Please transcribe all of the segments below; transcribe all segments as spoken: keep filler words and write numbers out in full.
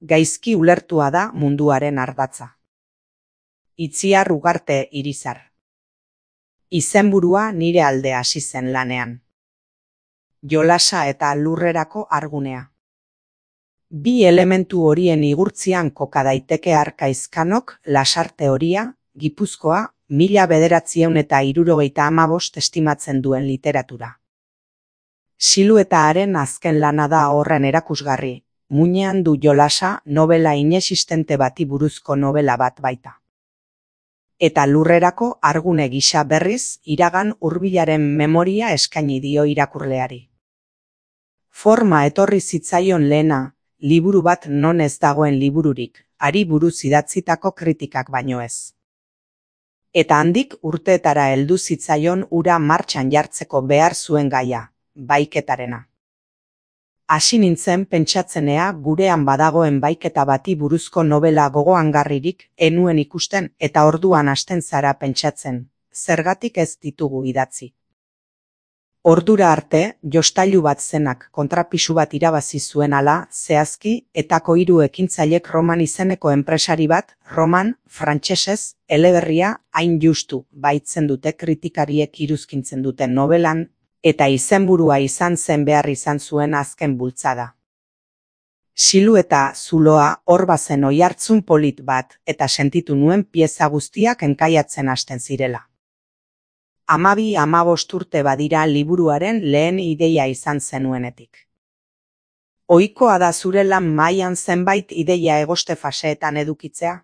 gaizki ulertua da munduaren ardatza. Itziar Ugarte Irizar. Izenburua nire alde hasi zen lanean. Jolasa eta lurrerako argunea. Bi elementu horien igurtzian koka daiteke Arkaizkanok Lasarte Horia, Gipuzkoa, mila bederatziehun eta hirurogeita hamabost estimatzen duen literatura. Siluetaaren azken lana da horren erakusgarri, muinean du Jolasa novela inexistente bati buruzko novela bat baita. Eta lurrerako argune gisa berriz, iragan hurbilaren memoria eskaini dio irakurleari. Forma etorri zitzaion lehena, liburu bat non ez dagoen libururik, hari buruz idatzitako kritikak baino ez. Eta handik urteetara heldu zitzaion ura martxan jartzeko behar zuen gaia, baiketarena. Hasi nintzen pentsatzenea gurean badagoen baiketa bati buruzko novela gogoangarririk enuen ikusten eta orduan hasten zara pentsatzen, zergatik ez ditugu idatzi. Ordura arte, jostailu bat zenak kontrapisu bat irabazi zuen ala, zehazki, etako hiru ekintzailek Roman izeneko enpresari bat, Roman, frantsesez, eleberria, hain justu, baitzen dute kritikariek iruzkintzen duten novelan, eta izenburua izan zen behar izan zuen azken bultzada. Silueta zuloa hor bazen oihartzun polit bat, eta sentitu nuen pieza guztiak enkaiatzen hasten zirela. Hamabi hamabost urte badira liburuaren lehen ideia izan zenuenetik. Ohikoa da zure lan mailan zenbait ideia egoste faseetan edukitzea?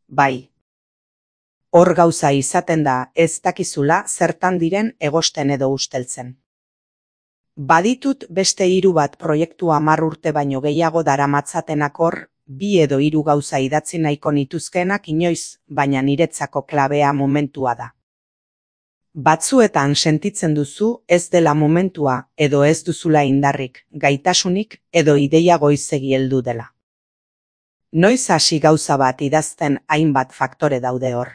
Bai. Hor gauza izaten da ez dakizula zertan diren egosten edo usteltzen. Baditut beste hiru bat proiektu hamar urte baino gehiago daramatzatenak hor, bi edo hiru gauza idatzi nahiko nituzkeenak inoiz, baina niretzako klabea momentua da. Batzuetan sentitzen duzu ez dela momentua edo ez duzula indarrik, gaitasunik edo ideia goizegi heldu dela. Noiz hasi gauza bat idazten hainbat faktore daude hor.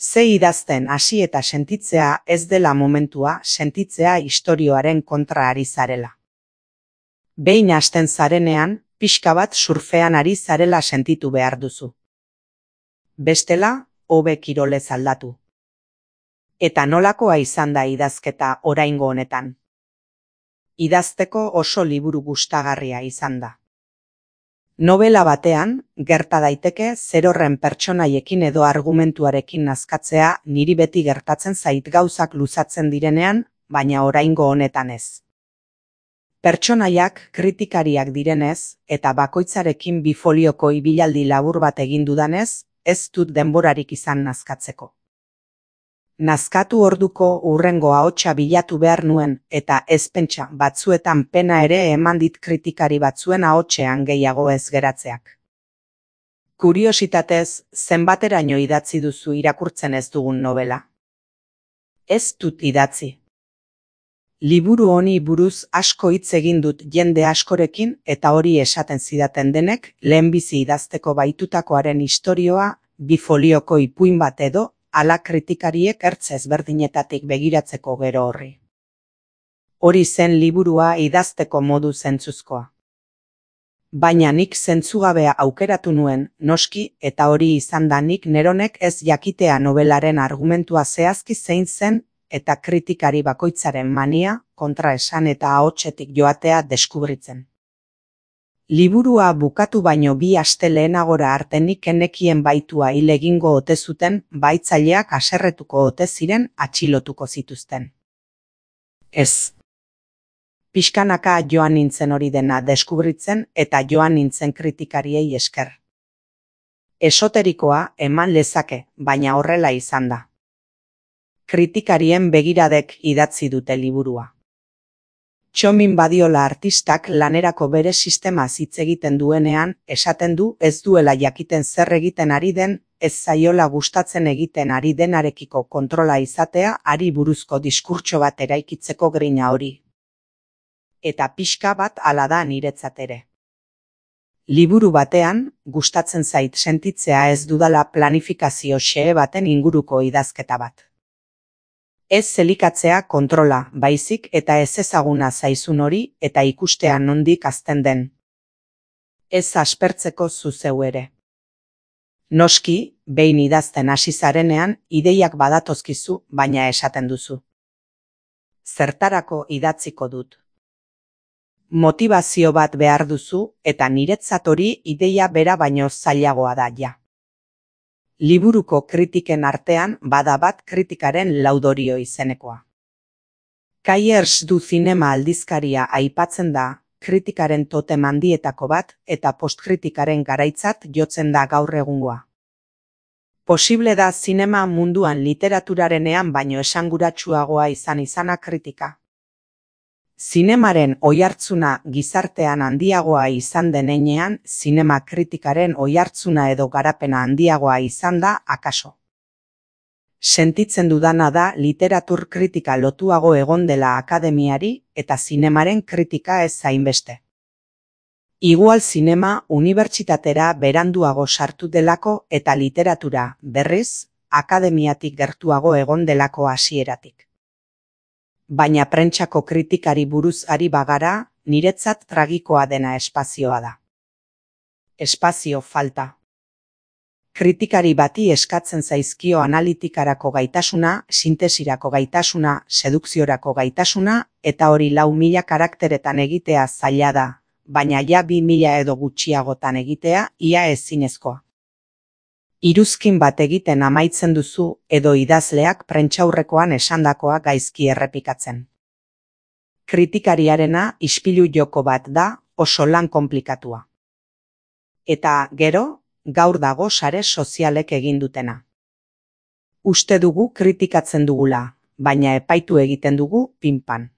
Ze idazten hasi eta sentitzea ez dela momentua, sentitzea istorioaren kontra ari zarela. Behin hasten zarenean, pixka bat surfean ari zarela sentitu behar duzu. Bestela, hobe kirolez aldatu. Eta nolakoa izan da idazketa oraingo honetan? Idazteko oso liburu gustagarria izan da. Novela batean, gerta daiteke zerorren pertsonaiekin edo argumentuarekin nazkatzea niri beti gertatzen zait gauzak luzatzen direnean, baina oraingo honetan ez. Pertsonaiak kritikariak direnez, eta bakoitzarekin bifolioko ibilaldi labur bat egin dudanez, ez dut denborarik izan nazkatzeko. Nazkatu orduko hurrengo ahotsa bilatu behar nuen, eta ez pentsa batzuetan pena ere eman dit kritikari batzuen ahotsean gehiago ez geratzeak. Kuriositatez, zenbateraino idatzi duzu irakurtzen ez dugun novela? Ez dut idatzi. Liburu honi buruz asko hitz egin dut jende askorekin eta hori esaten zidaten denek lehenbizi idazteko baitutakoaren istorioa bifolioko ipuin bat edo ala kritikariek ertz ezberdinetatik begiratzeko gero horri. Hori zen liburua idazteko modu zentzuzkoa. Baina nik zentzugabea aukeratu nuen, noski, eta hori izan da nik neronek ez jakitea novelaren argumentua zehazki zein zen, eta kritikari bakoitzaren mania, kontraesan eta ahotsetik joatea deskubritzen. Liburua bukatu baino bi aste lehenagora arte nik enekien baitua hil egingo ote zuten, baitzaileak haserretuko ote ziren atxilotuko zituzten. Ez. Pixkanaka joan nintzen hori dena deskubritzen eta joan nintzen kritikariei esker. Esoterikoa eman lezake, baina horrela izan da. Kritikarien begiradek idatzi dute liburua. Txomin Badiola artistak lanerako bere sistemaz hitz egiten duenean, esaten du ez duela jakiten zer egiten ari den, ez zaiola gustatzen egiten ari denarekiko kontrola izatea ari buruzko diskurtso bat eraikitzeko grina hori. Eta pixka bat hala da niretzat ere. Liburu batean, gustatzen zait sentitzea ez dudala planifikazio xehe baten inguruko idazketa bat. Ez zelikatzea kontrola, baizik eta ez ezaguna zaizun hori eta ikustea nondik hazten den. Ez aspertzeko zu zeu ere. Noski, behin idazten hasi zarenean, ideiak badatozkizu, baina esaten duzu. Zertarako idatziko dut. Motibazio bat behar duzu eta niretzat hori ideia bera baino zailagoa da ja. Liburuko kritiken artean bada bat kritikaren laudorio izenekoa. Kaiers du zinema aldizkaria aipatzen da, kritikaren totem handietako bat eta postkritikaren garaitzat jotzen da gaur egungoa. Posible da zinema munduan literaturarenean baino esanguratsuagoa izan izana kritika. Zinemaren oihartzuna gizartean handiagoa izan den heinean, zinema kritikaren oihartzuna edo garapena handiagoa izan da akaso. Sentitzen dudana da literatur kritika lotuago egon dela akademiari eta zinemaren kritika ez hainbeste. Igual zinema unibertsitatera beranduago sartu delako eta literatura, berriz, akademiatik gertuago egon delako hasieratik. Baina prentsako kritikari buruz ari bagara, niretzat tragikoa dena espazioa da. Espazio falta. Kritikari bati eskatzen zaizkio analitikarako gaitasuna, sintesirako gaitasuna, sedukziorako gaitasuna, eta hori lau mila karakteretan egitea zaila da, baina ja bi mila edo gutxiagotan egitea ia ezinezkoa. Iruzkin bat egiten amaitzen duzu edo idazleak prentsaurrekoan esandakoa gaizki errepikatzen. Kritikariarena ispilu joko bat da, oso lan konplikatua. Eta gero, gaur dago sare sozialek egin dutena. Uste dugu kritikatzen dugula, baina epaitu egiten dugu pinpan.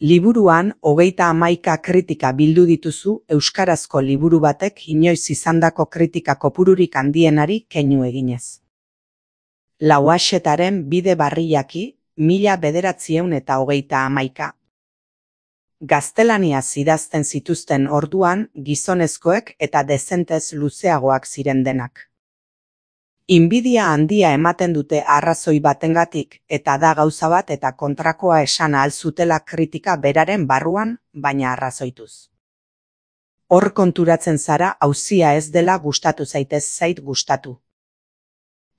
Liburuan hogeita hamaika kritika bildu dituzu euskarazko liburu batek inoiz izandako kritika kopururik handienari keinu eginez. Lauaxetaren bide barriaki, mila bederatziehun eta hogeita hamaika. Gaztelaniaz idazten zituzten orduan gizonezkoek eta dezentez luzeagoak ziren denak. Inbidia handia ematen dute arrazoi batengatik eta da gauza bat eta kontrakoa esan ahal zutela kritika beraren barruan, baina arrazoituz. Hor konturatzen zara auzia ez dela gustatu zaitez zait gustatu.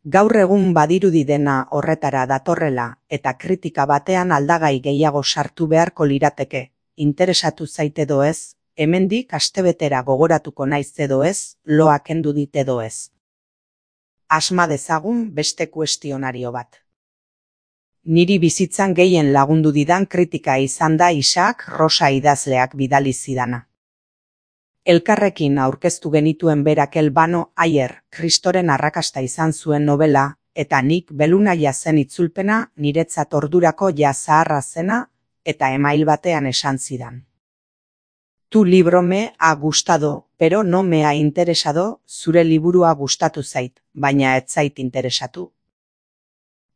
Gaur egun badirudi dena horretara datorrela eta kritika batean aldagai gehiago sartu beharko lirateke, interesatu zait edo ez, hemendik astebetera gogoratuko naiz edo ez, loa kendu dit edo ez. Asma dezagun beste kuestionario bat. Niri bizitzan gehien lagundu didan kritika izan da Isaac Rosa idazleak bidali zidana. Elkarrekin aurkeztu genituen berak Elbano Aier, Kristoren arrakasta izan zuen novela, eta nik Belunaia zen itzulpena niretzat ordurako ja zaharra zena, eta email batean esan zidan. Tu libro me ha gustado, pero no me ha interesado, zure liburua gustatu zait, baina ez zait interesatu.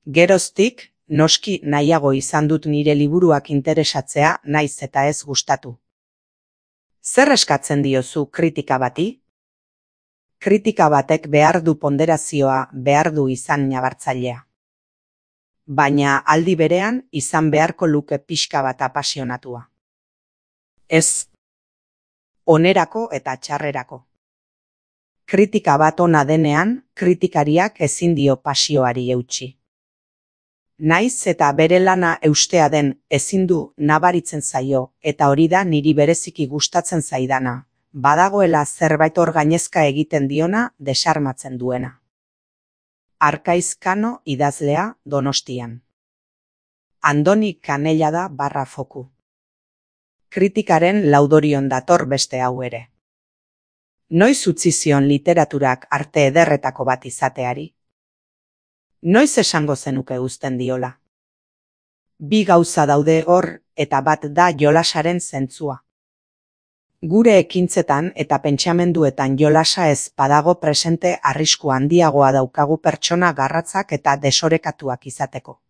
Geroztik, noski nahiago izan dut nire liburuak interesatzea naiz eta ez gustatu. Zer eskatzen diozu kritika bati? Kritika batek behar du ponderazioa, behar du izan nabartzailea. Baina aldi berean izan beharko luke pixka bat apasionatua. Ez. Onerako eta txarrerako. Kritika bat ona denean, kritikariak ezin dio pasioari eutsi. Naiz eta bere lana eustea den ezin du nabaritzen zaio, eta hori da niri bereziki gustatzen zaidana, badagoela zerbait hor gainezka egiten diona desarmatzen duena. Arkaiz Kano idazlea Donostian. Andoni Kanella da barra foku. Kritikaren laudorion dator beste hau ere. Noiz utzi zion literaturak arte ederretako bat izateari? Noiz esango zenuke uzten diola? Bi gauza daude hor eta bat da jolasaren zentzua. Gure ekintzetan eta pentsamenduetan jolasa ez badago presente arrisku handiagoa daukagu pertsona garratzak eta desorekatuak izateko.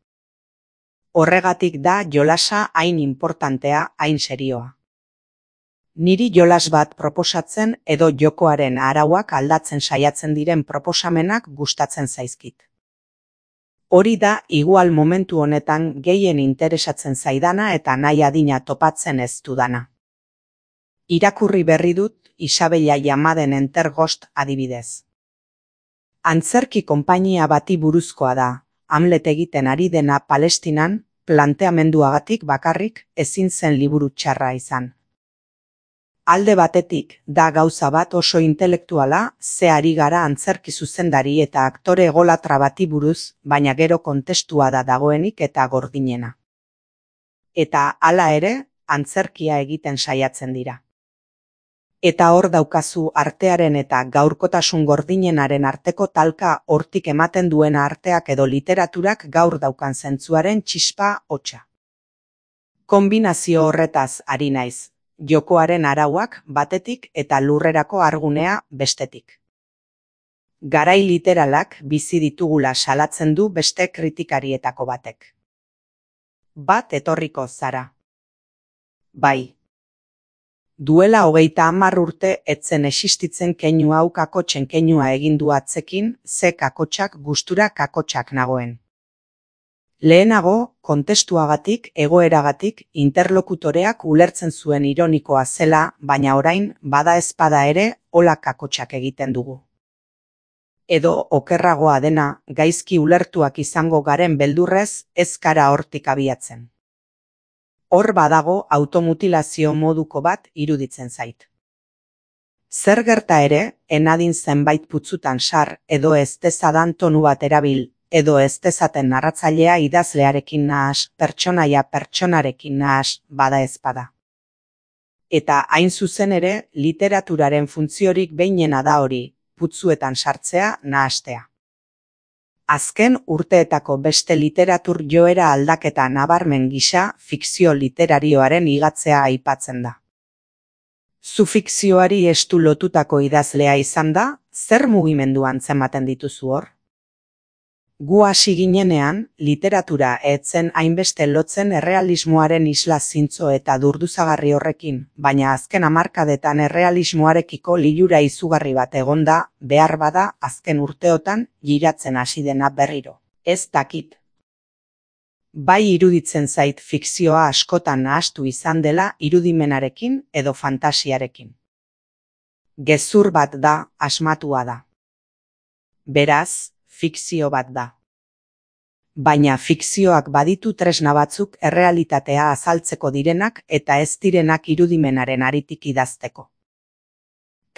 Horregatik da jolasa hain importantea, hain serioa. Niri jolas bat proposatzen edo jokoaren arauak aldatzen saiatzen diren proposamenak gustatzen zaizkit. Hori da igual momentu honetan gehien interesatzen zaidana eta nahi adina topatzen ez dudana. Irakurri berri dut Isabella Llamaden Entergost adibidez. Antzerki konpainia bati buruzkoa da, Hamlet egiten ari dena Palestinan, planteamenduagatik bakarrik ezin zen liburu txarra izan. Alde batetik, da gauza bat oso intelektuala, ze ari gara antzerki zuzendari eta aktore egolatra bati buruz, baina gero kontestua da dagoenik eta gordinena. Eta hala ere, antzerkia egiten saiatzen dira. Eta hor daukazu artearen eta gaurkotasun gordinenaren arteko talka hortik ematen duena arteak edo literaturak gaur daukan zentzuaren txispa hotsa. Konbinazio horretaz ari naiz, jokoaren arauak batetik eta lurrerako argunea bestetik. Garai literalak bizi ditugula salatzen du beste kritikarietako batek. Bat etorriko zara. Bai. Duela hogeita hamar urte etzen existitzen keinu hau kakotxen keinua egindu atzekin, ze kakotxak gustura kakotxak nagoen. Lehenago, kontestuagatik, egoeragatik, interlokutoreak ulertzen zuen ironikoa zela, baina orain, bada ezpada ere, hola kakotxak egiten dugu. Edo, okerragoa dena, gaizki ulertuak izango garen beldurrez, ez gara hortik abiatzen. Hor badago automutilazio moduko bat iruditzen zait. Zer gerta ere, enadin zenbait putzutan sar, edo ez dezadan tonu bat erabil, edo ez dezaten narratzailea idazlearekin nahas, pertsonaia pertsonarekin nahas, bada ezpada. Eta hain zuzen ere, literaturaren funtziorik behinena da hori, putzuetan sartzea nahastea. Azken urteetako beste literatur joera aldaketa nabarmen gisa fikzio literarioaren igatzea aipatzen da. Zu fikzioari estu lotutako idazlea izan da, zer mugimendu antzematen dituzu hor? Gu hasi ginenean, literatura etzen hainbeste lotzen errealismoaren isla zintzo eta durduzagarri horrekin, baina azken hamarkadetan errealismoarekiko lilura izugarri bat egonda, behar bada azken urteotan giratzen hasi dena berriro. Ez dakit. Bai iruditzen zait fikzioa askotan nahastu izan dela irudimenarekin edo fantasiarekin. Gezur bat da, asmatua da. Beraz, fikzio bat da. Baina fikzioak baditu tresna batzuk errealitatea azaltzeko direnak eta ez direnak irudimenaren aritik idazteko.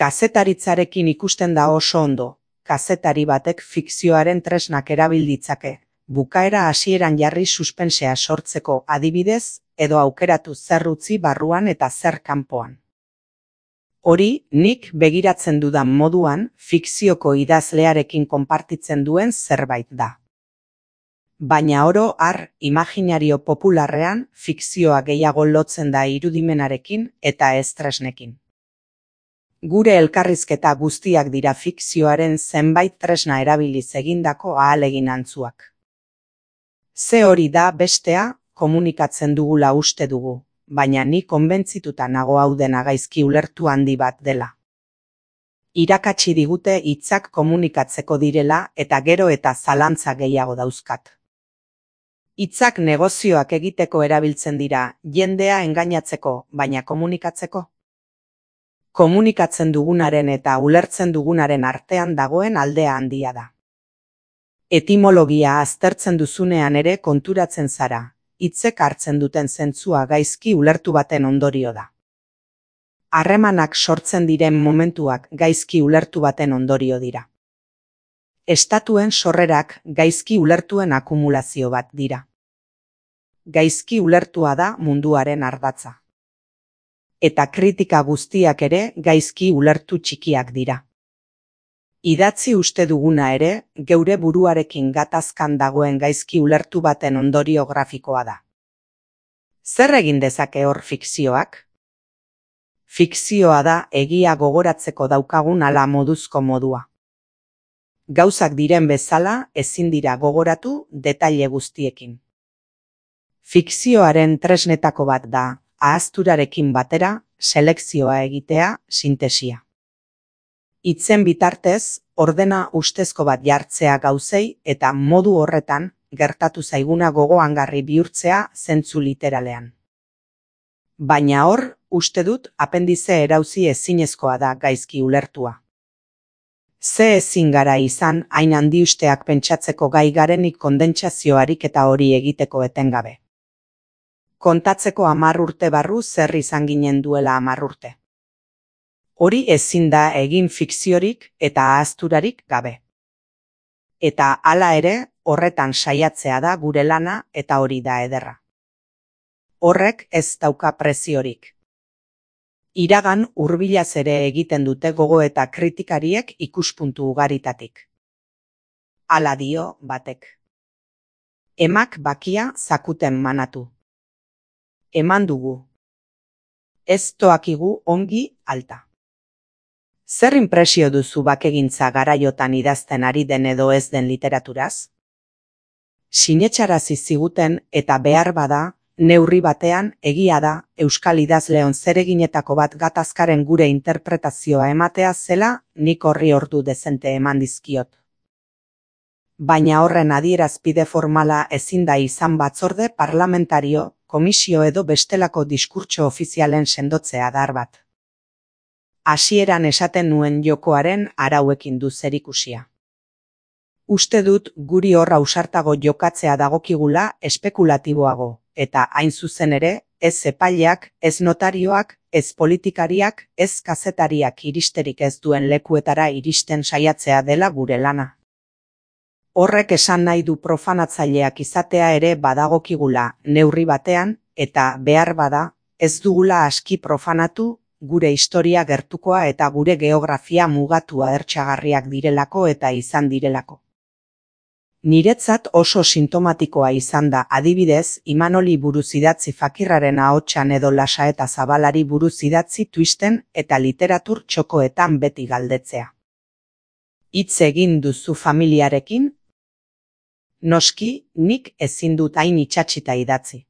Kazetaritzarekin ikusten da oso ondo, kazetari batek fikzioaren tresnak erabil ditzake, bukaera hasieran jarri suspensea sortzeko adibidez, edo aukeratu zer utzi barruan eta zer kanpoan. Hori, nik begiratzen dudan moduan, fikzioko idazlearekin konpartitzen duen zerbait da. Baina oro har, imaginario popularrean, fikzioa gehiago lotzen da irudimenarekin eta ez tresnekin. Gure elkarrizketa guztiak dira fikzioaren zenbait tresna erabiliz egindako ahalegin antzuak. Ze hori da bestea, komunikatzen dugula uste dugu, baina ni konbentzituta nago hau dena gaizki ulertu handi bat dela. Irakatsi digute hitzak komunikatzeko direla eta gero eta zalantza gehiago dauzkat. Hitzak negozioak egiteko erabiltzen dira, jendea engainatzeko, baina komunikatzeko. Komunikatzen dugunaren eta ulertzen dugunaren artean dagoen aldea handia da. Etimologia aztertzen duzunean ere konturatzen zara, hitzek hartzen duten zentzua gaizki ulertu baten ondorio da. Harremanak sortzen diren momentuak gaizki ulertu baten ondorio dira. Estatuen sorrerak gaizki ulertuen akumulazio bat dira. Gaizki ulertua da munduaren ardatza. Eta kritika guztiak ere gaizki ulertu txikiak dira. Idatzi uste duguna ere, geure buruarekin gatazkan dagoen gaizki ulertu baten ondorio grafikoa da. Zer egin dezake hor fikzioak? Fikzioa da egia gogoratzeko daukagun ala moduzko modua. Gauzak diren bezala ezin dira gogoratu detaile guztiekin. Fikzioaren tresnetako bat da, ahazturarekin batera, selekzioa egitea, sintesia. Hitzen bitartez, ordena ustezko bat jartzea gauzei eta modu horretan gertatu zaiguna gogoangarri bihurtzea zentzu literalean. Baina hor, uste dut, apendize erauzi ezinezkoa da gaizki ulertua. Ze ezin gara izan, hain handiusteak pentsatzeko gai garenik kondentsazioarik eta hori egiteko etengabe. Kontatzeko hamar urte barru zer izan ginen duela hamar urte. Hori ezin da egin fikziorik eta ahazturarik gabe. Eta hala ere, horretan saiatzea da gure lana eta hori da ederra. Horrek ez dauka preziorik. Iragan hurbilaz ere egiten dute gogo eta kritikariek ikuspuntu ugaritatik. Hala dio batek. Emak bakia zakuten manatu. Eman dugu. Ez toakigu ongi alta. Zer inpresio duzu bakegintza garaiotan idazten ari den edo ez den literaturaz? Sinetxarazi ziguten eta behar bada, neurri batean egia da Euskal idazleon zereginetako bat gatazkaren gure interpretazioa ematea zela nik horri ordu dezente eman dizkiot. Baina horren adierazpide formala ezin da izan batzorde parlamentario, komisio edo bestelako diskurtso ofizialen sendotzea dar bat. Hasieran esaten nuen jokoaren arauekin du zerikusia. Uste dut guri hor ausartago jokatzea dagokigula espekulatiboago, eta hain zuzen ere, ez epaileak, ez notarioak, ez politikariak, ez kazetariak iristerik ez duen lekuetara iristen saiatzea dela gure lana. Horrek esan nahi du profanatzaileak izatea ere badagokigula neurri batean, eta behar bada, ez dugula aski profanatu, gure historia gertukoa eta gure geografia mugatua ertsagarriak direlako eta izan direlako. Niretzat oso sintomatikoa izan da adibidez Imanoli buruz idatzi fakirraren ahotsan edo Lasaeta Zabalari buruz idatzi twisten eta literatur txokoetan beti galdetzea. Hitz egin duzu familiarekin? Noski, nik ezin dut hain itsatsita idatzi.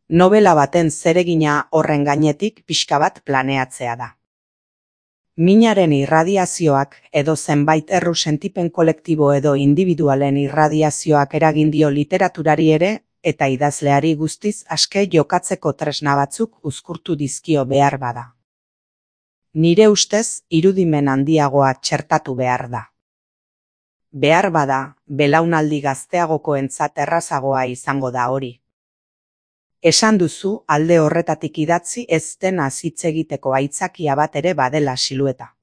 Nobela baten zeregina horren gainetik pixka bat planeatzea da. Minaren irradiazioak edo zenbait erru sentipen kolektibo edo individualen irradiazioak eragin dio literaturari ere eta idazleari guztiz aske jokatzeko tresna batzuk uzkurtu dizkio behar bada. Nire ustez irudimen handiagoa txertatu behar da. Behar bada, belaunaldi gazteagokoentzat errazagoa izango da hori. Esan duzu alde horretatik idatzi ez dena hitz egiteko aitzakia bat ere badela silueta.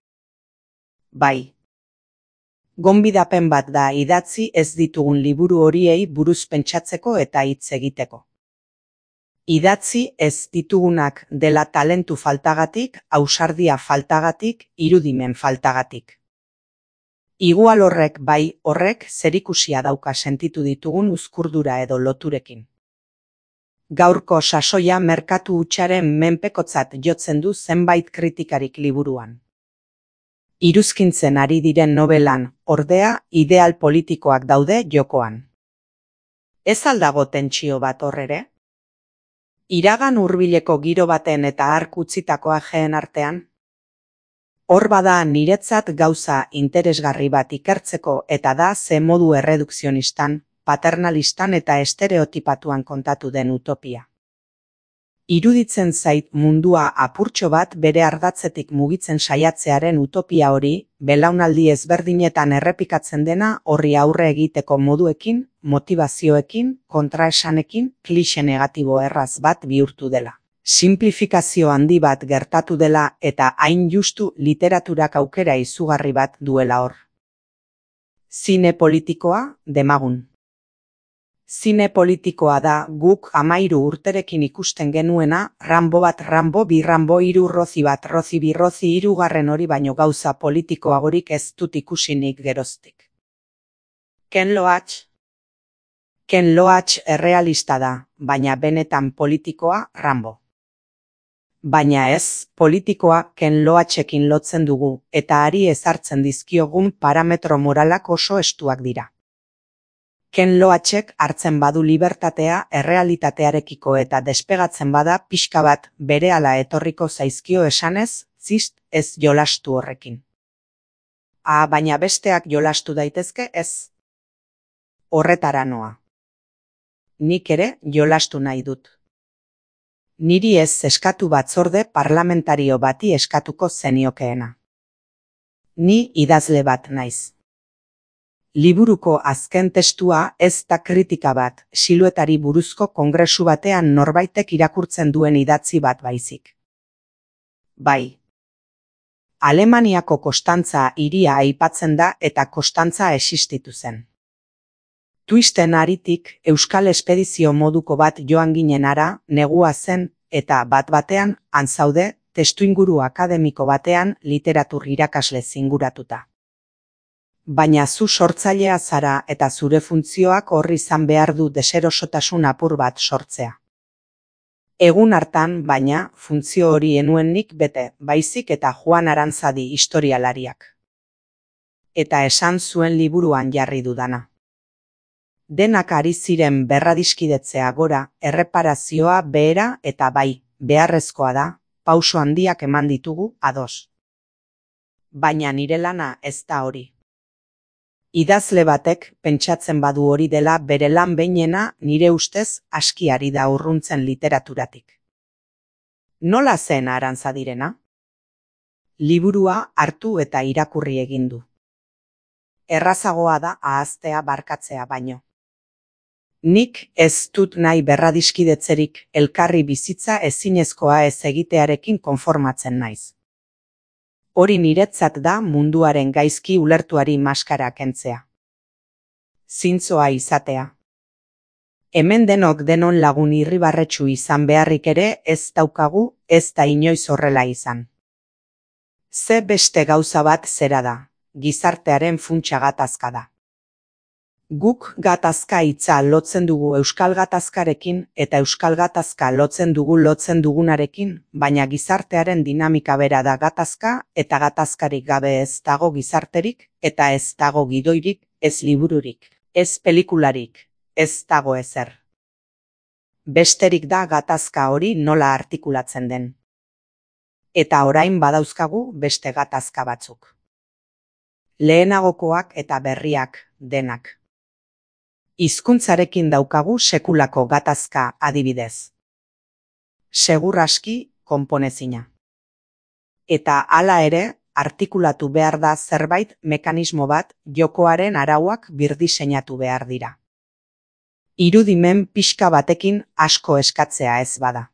Bai. Gonbidapen bat da idatzi ez ditugun liburu horiei buruz pentsatzeko eta hitz egiteko. Idatzi ez ditugunak dela talentu faltagatik, ausardia faltagatik, irudimen faltagatik. Igual horrek bai horrek zerikusia dauka sentitu ditugun uzkurdura edo loturekin. Gaurko sasoia merkatu hutsaren menpekotzat jotzen du zenbait kritikarik liburuan. Iruzkintzen ari diren nobelan, ordea, ideal politikoak daude jokoan. Ez aldago tentsio bat horrere? Iragan hurbileko giro baten eta hark utzitako ajeen artean? Hor bada niretzat gauza interesgarri bat ikertzeko eta da ze modu erredukzionistan, paternalistan eta estereotipatuan kontatu den utopia. Iruditzen zait mundua apurtxo bat bere ardatzetik mugitzen saiatzearen utopia hori, belaunaldi ezberdinetan errepikatzen dena horri aurre egiteko moduekin, motivazioekin, kontraesanekin, klixe negatibo erraz bat bihurtu dela. Simplifikazio handi bat gertatu dela eta hain justu literaturak aukera izugarri bat duela hor. Zine politikoa, demagun. Zine politikoa da guk amairu urterekin ikusten genuena, Rambo bat Rambo bi Rambo hiru Rozi bat Rozi bi Rozi hirugarren hori baino gauza politikoagorik ez dut ikusinik geroztik. Ken Loach? Ken Loach errealista da, baina benetan politikoa Rambo. Baina ez, politikoa Ken Loachekin lotzen dugu, eta hari ezartzen dizkiogun parametro moralak oso estuak dira. Ken Loachek hartzen badu libertatea errealitatearekiko eta despegatzen bada pixka bat berehala etorriko zaizkio esanez, zist ez jolastu horrekin. Ah, baina besteak jolastu daitezke ez. Horretara noa. Nik ere jolastu nahi dut. Niri ez eskatu batzorde parlamentario bati eskatuko zeniokeena. Ni idazle bat naiz. Liburuko azken testua ez da kritika bat, siluetari buruzko kongresu batean norbaitek irakurtzen duen idatzi bat baizik. Bai. Alemaniako Konstantza hiria aipatzen da eta Konstantza existitu zen. Twisten haritik Euskal Espedizio moduko bat joan ginen ara, negua zen, eta bat-batean, han zaude, testuinguru akademiko batean literatur irakasle zinguratuta. Baina zu sortzailea zara eta zure funtzioak hor izan behar du deserosotasun apur bat sortzea. Egun hartan, baina, funtzio hori enuen nik bete, baizik eta Juan Arantzadi historialariak. Eta esan zuen liburuan jarri dudana. Denak ari ziren berradiskidetzea gora, erreparazioa behera eta bai, beharrezkoa da, pauso handiak eman ditugu ados. Baina nire lana ez da hori. Idazle batek pentsatzen badu hori dela bere lan behinena nire ustez aski ari da urruntzen literaturatik. Nola zen Arantzadirena? Liburua hartu eta irakurri egin du. Errazagoa da ahaztea barkatzea baino. Nik ez dut nahi berradiskidetzerik, elkarri bizitza ezinezkoa ez egitearekin konformatzen naiz. Hori niretzat da munduaren gaizki ulertuari maskara kentzea. Zintzoa izatea. Hemen denok denon lagun irribarretsu izan beharrik ere ez daukagu, ez da inoiz horrela izan. Ze beste gauza bat zera da, gizartearen funtsa gatazka da. Guk gatazka hitza lotzen dugu euskal gatazkarekin eta euskal gatazka lotzen dugu lotzen dugunarekin, baina gizartearen dinamika bera da gatazka eta gatazkarik gabe ez dago gizarterik eta ez dago gidoirik, ez libururik, ez pelikularik, ez dago ezer. Besterik da gatazka hori nola artikulatzen den. Eta orain badauzkagu beste gatazka batzuk. Lehenagokoak eta berriak denak. Hizkuntzarekin daukagu sekulako gatazka adibidez. Segur aski konponezina. Eta hala ere, artikulatu behar da zerbait mekanismo bat jokoaren arauak birdiseinatu behar dira. Irudimen pixka batekin asko eskatzea ez bada.